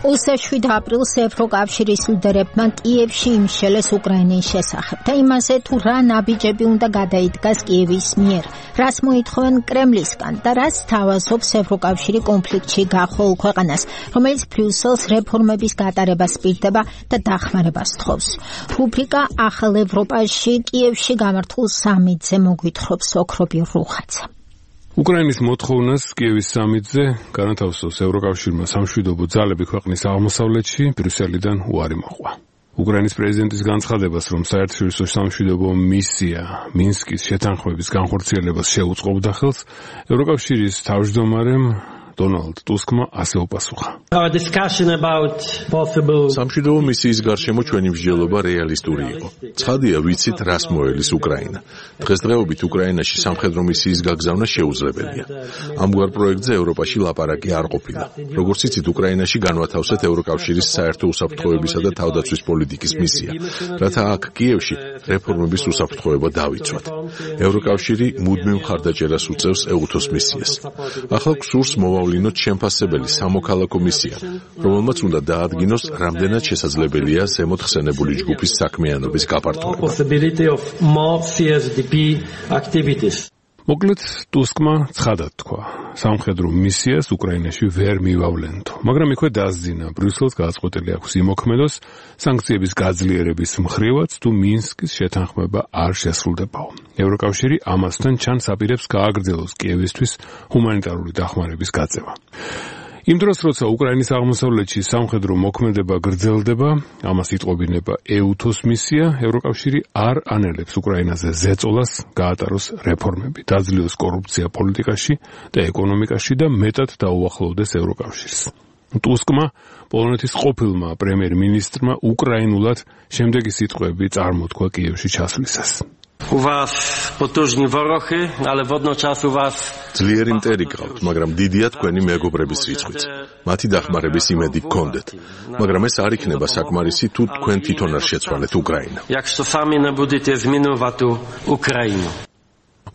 27 აპრილს ევროკავშირის ლიდერებმა კიევში იმშელეს უკრაინის შესახებ და იმაზე თუ რა ნაბიჯები უნდა გადაიდგას კიევის მიერ, რას მოითხოვენ კრემლისგან და რაც თავაზობს ევროკავშირი კონფლიქტში გახვალ ქვეყანას, რომელიც ბრიუსელს რეფორმების გატარებას პირდება და დახმარებას თხოვს. რუბრიკა ახალ ევროპაში კიევში გამართულ სამიტზე მოგვითხრობს ოქრობი რუხაცა. უკრაინის მოთხოვნას კიევის სამიტზე განათავსოს ევროკავშირმა სამშვიდობო ძალები ქვეყნის აღმოსავლეთში ბრიუსელიდან უარი მოყვა. უკრაინის პრეზიდენტის განცხადებას, რომ საერთაშორისო სამშვიდობო მისია მინსკის შეთანხმების განხორციელებას შეუწყობდა ხელს, ევროკავშირის თავმჯდომარემ დონალდ ტუსკმა ასე უპასუხა. სამშვიდობო მისიის გარშემო ჩვენი მსჯელობა რეალისტური იყო. ცხადია, ვიცით, რას მოელის უკრაინა. დღესდღეობით უკრაინაში სამხედრო მისიის გაგზავნა შეუძლებელია. ამგვარ პროექტზე ევროპაში ლაპარაკი არ ყოფილა. როგორც იცით, უკრაინაში განვათავსეთ ევროკავშირის საერთო უსაფრთხოებისა და თავდაცვის პოლიტიკის მისია, რათა აქ კიევში რეფორმების უსაფრთხოება დავიცვათ. ევროკავშირი მუდმივ მხარდაჭერას უწევს EUTOS მისიას. ახლა გსურს ლინოთ შემფასებელი სამოქალაქო მისია, რომელმაც უნდა დაადგინოს, რამდენად შესაძლებელია ზემოთ ხსენებული ჯგუფის საქმიანობის გაფართოება. მოკლედ, ტუსკმა ცხადად თქვა, სამხედრო მისიას უკრაინაში ვერ მივავლენთ, მაგრამ იქვე დასძინა, ბრიუსელს გადაწყვეტილი აქვს იმოქმედოს სანქციების გაძლიერების მხრივაც თუ მინსკის შეთანხმება არ შესრულდებაო. ევროკავშირი ამასთან ჩანს აპირებს გააგრძელოს კიევისთვის ჰუმანიტარული დახმარების გაწევა. იმ დროს, როცა უკრაინის აღმოსავლეთში სამხედრო მოქმედება გრძელდება, ამას იტყობინება EUTOS მისია, ევროკავშირი არ ანელებს უკრაინაზე ზეწოლას გაატაროს რეფორმები, დაძლიოს კორუფცია პოლიტიკაში და ეკონომიკაში და მეტად დაუახლოვდეს ევროკავშირს. ტუსკმა, პოლონეთის ყოფილმა პრემიერ-მინისტრმა უკრაინულად შემდეგი სიტყვები წარმოთქვა კიევში ჩასვლისას. ძლიერი მტერი გყავთ, მაგრამ დიდია თქვენი მეგობრების რიცხვიც. მათი დახმარების იმედი გქონდეთ, მაგრამ ეს არ იქნება საკმარისი თუ თქვენ თვითონ არ შეცვალეთ უკრაინა.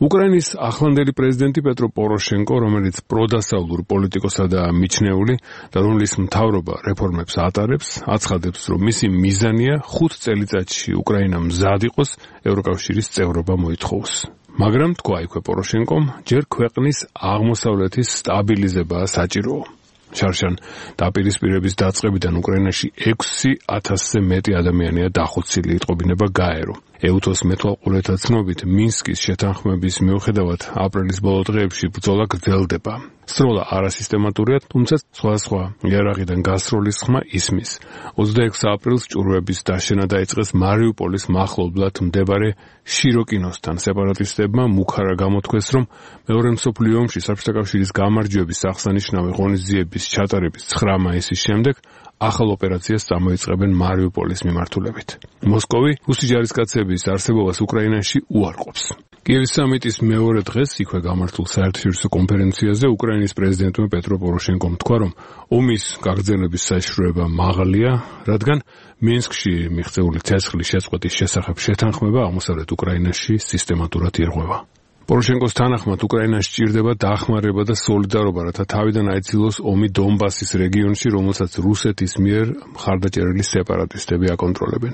უკრაინის ახლანდელი პრეზიდენტი პეტრო პოროშენკო, რომელიც პროდასავლურ პოლიტიკოსა და მიჩნეული და რომლის მთავრობა რეფორმებს ატარებს, აცხადებს, რომ მისი მიზანია 5 წელიწადში უკრაინა მზად იყოს ევროკავშირის წევრობა მოითხოვოს. მაგრამ თქვა იქვე პოროშენკომ, ჯერ ქვეყნის აღმოსავლეთის სტაბილიზებაა საჭიროა. შარშან დაპირისპირების დაწყებიდან უკრაინაში 6,000-ზე მეტი ადამიანია დახოცილი, იტყობინება გაერო. EUTOS მეთვალყურეთა ცნობით, მინსკის შეთანხმების მიუხედავად აპრილის ბოლო დღეებში ბრძოლა გრძელდება. სროლა არასისტემატურია, თუმცა სხვადასხვა იარაღიდან გასროლის ხმა ისმის. 26 აპრილს ჭურვების დაშენა დაიწყეს მარიუპოლის მახლობლად მდებარე შიროკინოსთან. სეპარატისტებმა მუქარა გამოთქვეს, რომ მეორე მსოფლიო ომში საბჭოთა კავშირის გამარჯვების აღსანიშნავი ღონისძიების ჩატარების 9 მაისის შემდეგ ახალ ოპერაციას წამოიწყებენ მარიუპოლის მიმართულებით. მოსკოვი რუსი ჯარისკაცების არსებობას უკრაინაში უარყოფს. კიევის სამიტის მეორე დღეს იქვე გამართულ საერთაშორისო კონფერენციაზე უკრაინის პრეზიდენტმა პეტრო პოროშენკომ თქვა, რომ ომის გაგრძელების საშიშროება მაღალია, რადგან მინსკში მიღწეული ცეცხლის შეწყვეტის შესახებ შეთანხმება აღმოსავლეთ უკრაინაში სისტემატურად ირღვევა. პოროშენკოს თანახმად უკრაინას სჭირდება დახმარება და სოლიდარობა, რათა თავიდან აიძილოს ომი დონბასის რეგიონში, რომელსაც რუსეთის მიერ მხარდაჭერილი სეპარატისტები აკონტროლებენ.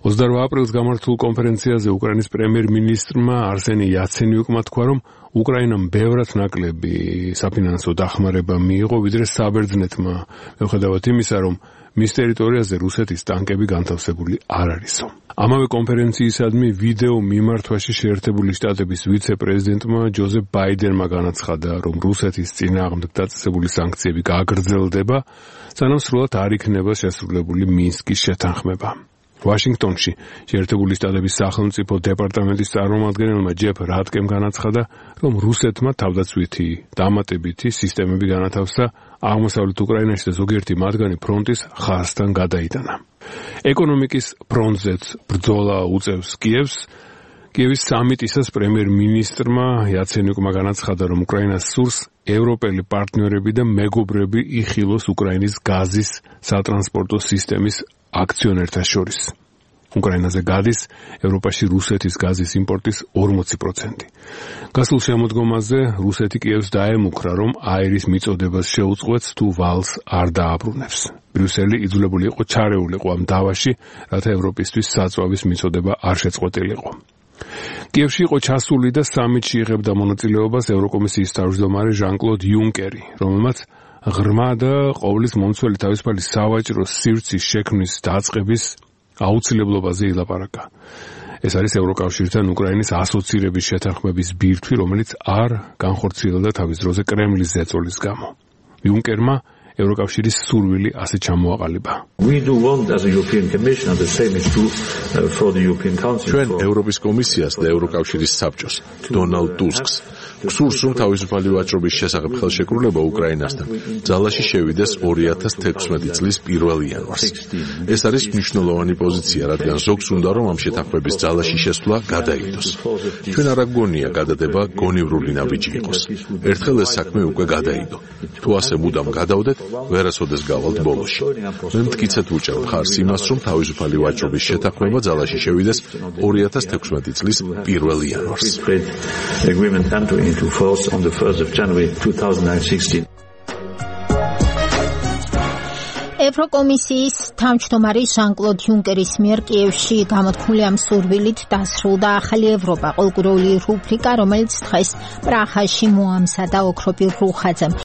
28 აპრილს გამართულ კონფერენციაზე უკრაინის პრემიერ-მინისტრმა არსენი იაცენიუკმა თქვა, რომ უკრაინამ ბევრად ნაკლები საფინანსო დახმარება მიიღო, ვიდრე საბერძნეთმა, მიუხედავად იმისა, რომ მის ტერიტორიაზე რუსეთის ტანკები განთავსებული არ არისო. ამავე კონფერენციისადმი ვიდეო მიმართვაში შეერთებული შტატების ვიცე-პრეზიდენტმა ჯოზეფ ბაიდენმა განაცხადა, რომ რუსეთის წინააღმდეგ დაწესებული სანქციები გაგრძელდება, სანამ სრულად არ იქნება შესრულებული მინსკის შეთანხმება. ვაშინგტონში შეერთებული შტატების სახელმწიფო დეპარტამენტის წარმომადგენელმა ჯეფ რატკემ განაცხადა, რომ რუსეთმა თავდაცვითი დამატებითი სისტემები განათავსა აღმოსავლეთ უკრაინაში და ზოგიერთი მათგანი ფრონტის ხაზთან გადაიტანა. ეკონომიკის ფრონტზეც ბრძოლა უწევს კიევს. კიევის სამიტისას პრემიერ-მინისტრმა იაცენიუკმა განაცხადა, რომ უკრაინას სურს ევროპელი პარტნიორები და მეგობრები იხილოს უკრაინის გაზის სატრანსპორტო სისტემის აქციონერთა შორის. უკრაინაზე გადის ევროპაში რუსეთის გაზის იმპორტის 40%. გასულ შემოდგომაზე რუსეთი კიევს დაემუქრა, რომ აირის მიწოდებას შეუწყვეტს თუ ვალს არ დააბრუნებს. ბრიუსელი იძულებული იყო ჩარეულიყო ამ დავაში, რათა ევროპისთვის საწვავის მიწოდება არ შეწყვეტილიყო. კიევში იყო ჩასული და სამიტში იღებდა მონაწილეობას ევროკომისიის თავმჯდომარე ჟან-კლოდ იუნკერი, რომელმაც ღრმა და ყოვლის მომცველი თავისუფალი სავაჭრო სივრცის შექმნის დაწყების აუცილებლობაზე ილაპარაკა. ეს არის ევროკავშირთან უკრაინის ასოცირების შეთანხმების ბირთვი, რომელიც არ განხორციელდა თავის დროზე კრემლის ზეწოლის გამო. იუნკერმა ევროკავშირის სურვილი ასე ჩამოაყალიბა. ჩვენ ევროპის კომისიას და ევროკავშირის საბჭოს, დონალდ ტუსკს გსურს, რომ თავისუფალი ვაჭრობის შესახებ ხელშეკრულება უკრაინასთან ძალაში შევიდეს 2016 წლის 1 იანვარს. ეს არის მნიშვნელოვანი პოზიცია, რადგან ზოგს უნდა, რომ ამ შეთანხმების ძალაში შესვლა გადაიდოს. ჩვენ არ გვგონია გადადება გონივრული ნაბიჯი იყოს. ერთხელ ეს საქმე უკვე გადაიდო. თუ ასე მუდამ გადავდეთ, ვერასოდეს გავალთ ბოლოში. მე მტკიცედ ვუჭერ მხარს იმას, რომ თავისუფალი ვაჭრობის შეთანხმება ძალაში შევიდეს 2016 წლის 1 იანვარს. Into force on the 1st of January 2016. ევროკომისიის თავმჯდომარის ჟან-კლოდ იუნკერის მიერ კიევში გამოთქმული ამ სურვილით დასრულდა ახალი ევროპა, ყოლგურული რუბრიკა, რომელიც დღეს პრაღაში მოამზადა ოქროპირ რუხაძემ.